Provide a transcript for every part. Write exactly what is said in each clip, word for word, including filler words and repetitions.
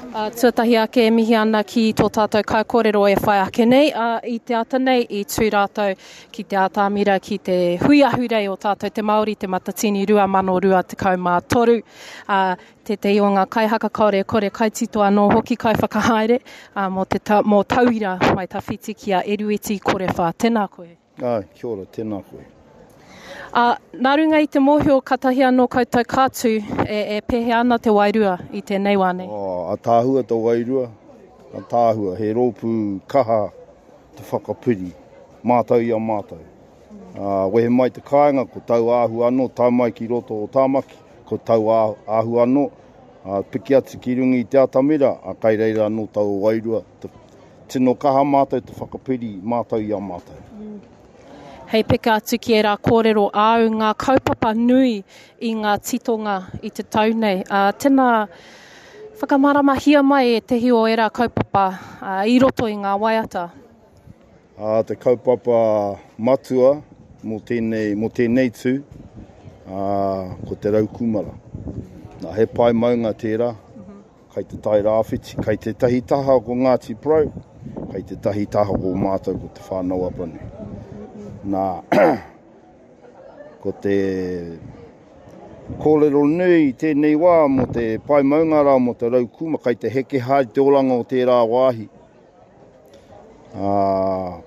Uh, tuatahi ake e mihi ana ki tō tātou kaikōrero e whai ake nei. Uh, i te ata nei i tū rātou ki te atamira ki te hui ahurei o tātou te Māori te Matatini rua mano rua tekau mā toru. Uh, tētehi o ngā kaihaka kaore kore kaitito anō hoki kaiwhakahaere, uh, mō te ta, mō tauira mai tawhiti ki a Erueti Korewha. Tēnā koe. Ai, kia ora, tēnā koe. Uh, nā runga i te mōhio katahi anō koutou ka tū, e, e pēhea ana te wairua i tēnei wā nei? Oh, a tāhua te wairua, a tāhua, he rōpū kaha te whakapiri, mātau i a mātau. Uh, wehe mai te kāinga, ko tau āhua anō, tau mai ki roto o Tāmaki, ko tau āhua anō, uh, piki atu ki runga i te atamira, a kai reira anō tau wairua. Te, tino kaha mātau te whakapiri mātau i a mātau. Mm. Hei peka atu ki ērā kōrero āu ngā kaupapa nui i ngā titonga i te tau nei. Uh, tēnā, whakamaramahia mai e tehi o ērā kaupapa uh, i roto i ngā waiata. Uh, te kaupapa matua mō tēnei, mō tēnei tū, uh, ko te rau kūmara. Nā, he pae maunga tērā, kai te tai rāwhiti, kai te tahi taha ko Ngāti Porou, kai te tahi taha ko mātou ko Te Whānau Apanui. Nā, ko te kōrero nui i tēnei wā mō te pae maunga rā, mō te rau kūma, kai te heke haere te oranga o tērā wāhi. Ā,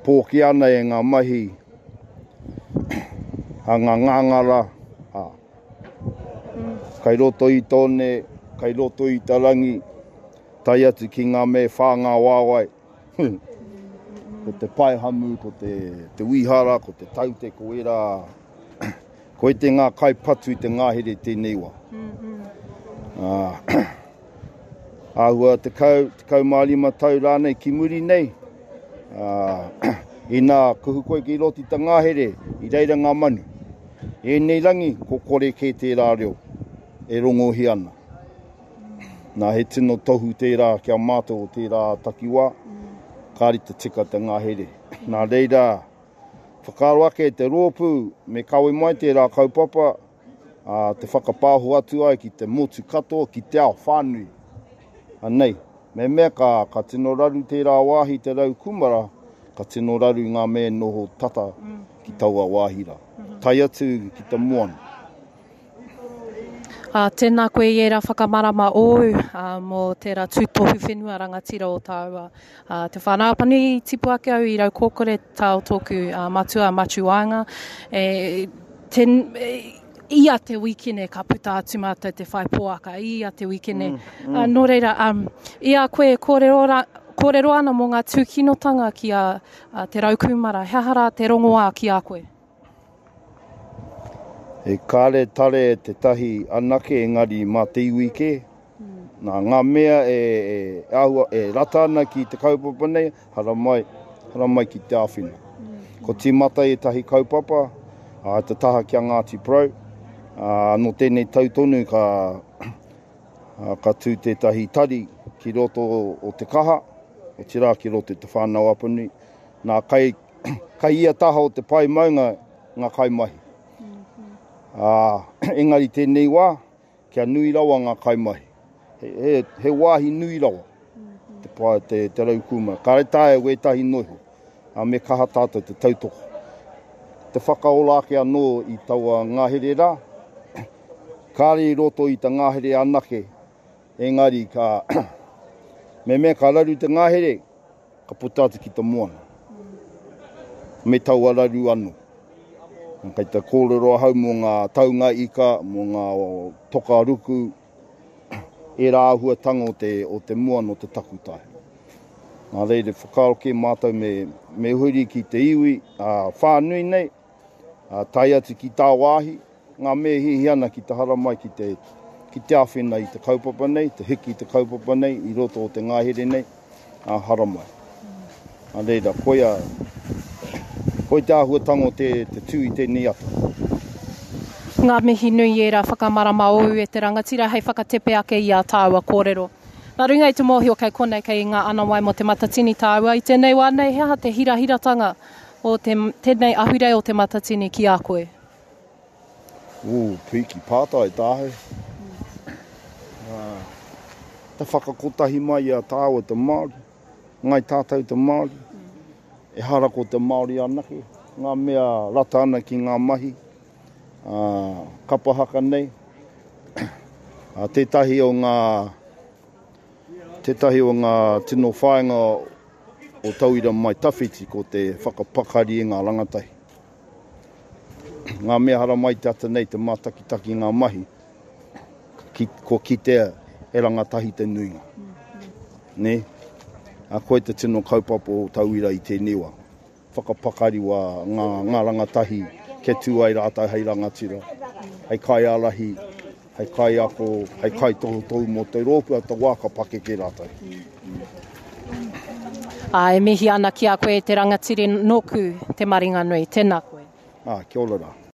pōki ana e ngā mahi a ngā ngāngara, ā, kai roto i tōne, kai roto i ta rangi, tae atu ki ngā me whā ngā wāwai. Ko te paehamu, ko te, te wihara, ko te taute, ko era, ko e te ngā kai patu i te ngahere tēnei wā. Uh, āhua tekau, tekau mā rima tau rānei ki muri nei, uh, inā kuhu koe ki roti ta ngahere, i reira ngā manu. Ēnei rangi, ko kore kē tērā reo e rongohi ana. Nā, he tino tohu tērā kia mātou o tērā takiwā, kāri te tika te ngahere. Nā reira, whakaaro ake te rōpū me kawe mai tērā kaupapa, a, te whakapāho atu ai ki te motu katoa, ki te ao whānui. Anei, me mea ka, ka tino raru tērā wāhi te rau kūmara, ka tino raru ngā me noho tata ki taua wāhi rā. Tai atu ki te moana. Uh, tēnā koe i ērā whakamarama ōu, uh, mō tērā tūtohu whenua rangatira o tāua. Uh, te Whānau Apanui i tipu ake au i Raukōkore tā o tōku uh, matua Matiu Waenga. E, te, e, ia te wikene ka puta atu mātou te whai pōaka, ia te wikene. Mm, mm. Uh, nō reira, um, i a koe kōrero, ra, kōrero ana mō ngā tūkinotanga ki a, a te raukūmara, he aha rā te rongoā ki a koe? E kāre tare te tahi anake engari mā te iwi kē. Nā ngā mea e, e, āhua, e rata ana ki te kaupapa nei, haramai, haramai ki te āwhina. Ko tīmata e tahi kaupapa, a, te taha ki a Ngāti Porou, a, nō tēnei tau tonu ka, a, ka tū tētahi tari ki roto o Te Kaha, o te rā ki roto i Te Whānau Apanui. Nā, kai, kai ia taha o te pae maunga ngā kaimahi. Ā, engari tēnei wā, kia nui rawa ngā kaimahi. He, he, he wāhi nui rawa te, pae, te, te rau kūmara. Kāre taea wētahi noiho, ā, me kaha tātou te tautoko. Te whakaora ake anō i taua ngahere rā, kāre i roto i te ngahere anake, engari ka, me mea ka raru te ngahere, ka puta atu ki te moana. Me taua raru anō. Kei te kōrero ahau mō ngā taunga ika, mō ngā toka ruku, ērā āhuatanga o te, o te moana o te takutai. Nā reira, whakaaro kē mātou me, me huri ki te iwi, ā, whānui nei, ā, tae atu ki tāwāhi, ngā me hihi ana ki te haramai ki te, ki te āwhina i te kaupapa nei, te hiki i te kaupapa nei, i roto o te ngahere nei, ā, haramai. Nā reira, koia, koi te āhuatanga o te, te tū i tēnei ata. Ngā mihi nui ērā whakamarama ōu e te rangatira hei whakatepe ake i a tāua kōrero. Nā runga i te mōhio kei konei kei ngā anawai mō te Matatini tāua i tēnei wā nei, he aha te hirahiratanga o te, tēnei ahurei o te Matatini ki a koe? Ū, piki pātai tāhau. Uh, Te whakakotahi mai i a tāua te Māori, ngai tātou te Māori. Ehara ko te Māori anake, ngā mea rata ana ki ngā mahi, ā, kapa haka nei. Ā, tētahi o ngā, tētahi o ngā tino whāinga o Tauira Mai Tawhiti ko te whakapakari i ngā rangatahi. Ngā mea haramai te ata nei te mātakitaki i ngā mahi, ki, kua kitea he rangatahi te nuinga. Nē? A koe te tino kaupapa o Tauira i tēnei wā. Whakapakari wā ngā, ngā rangatahi kia tū ai rātou hei rangatira, hei kaiārahi, hei kaiako, hei kaitohutohu mō te rōpū a te wā ka pakeke rātou. Ā, e mihi ana ki a koe e te rangatira nōku te maringanui. Tēnā koe. Ā, kia ora rā.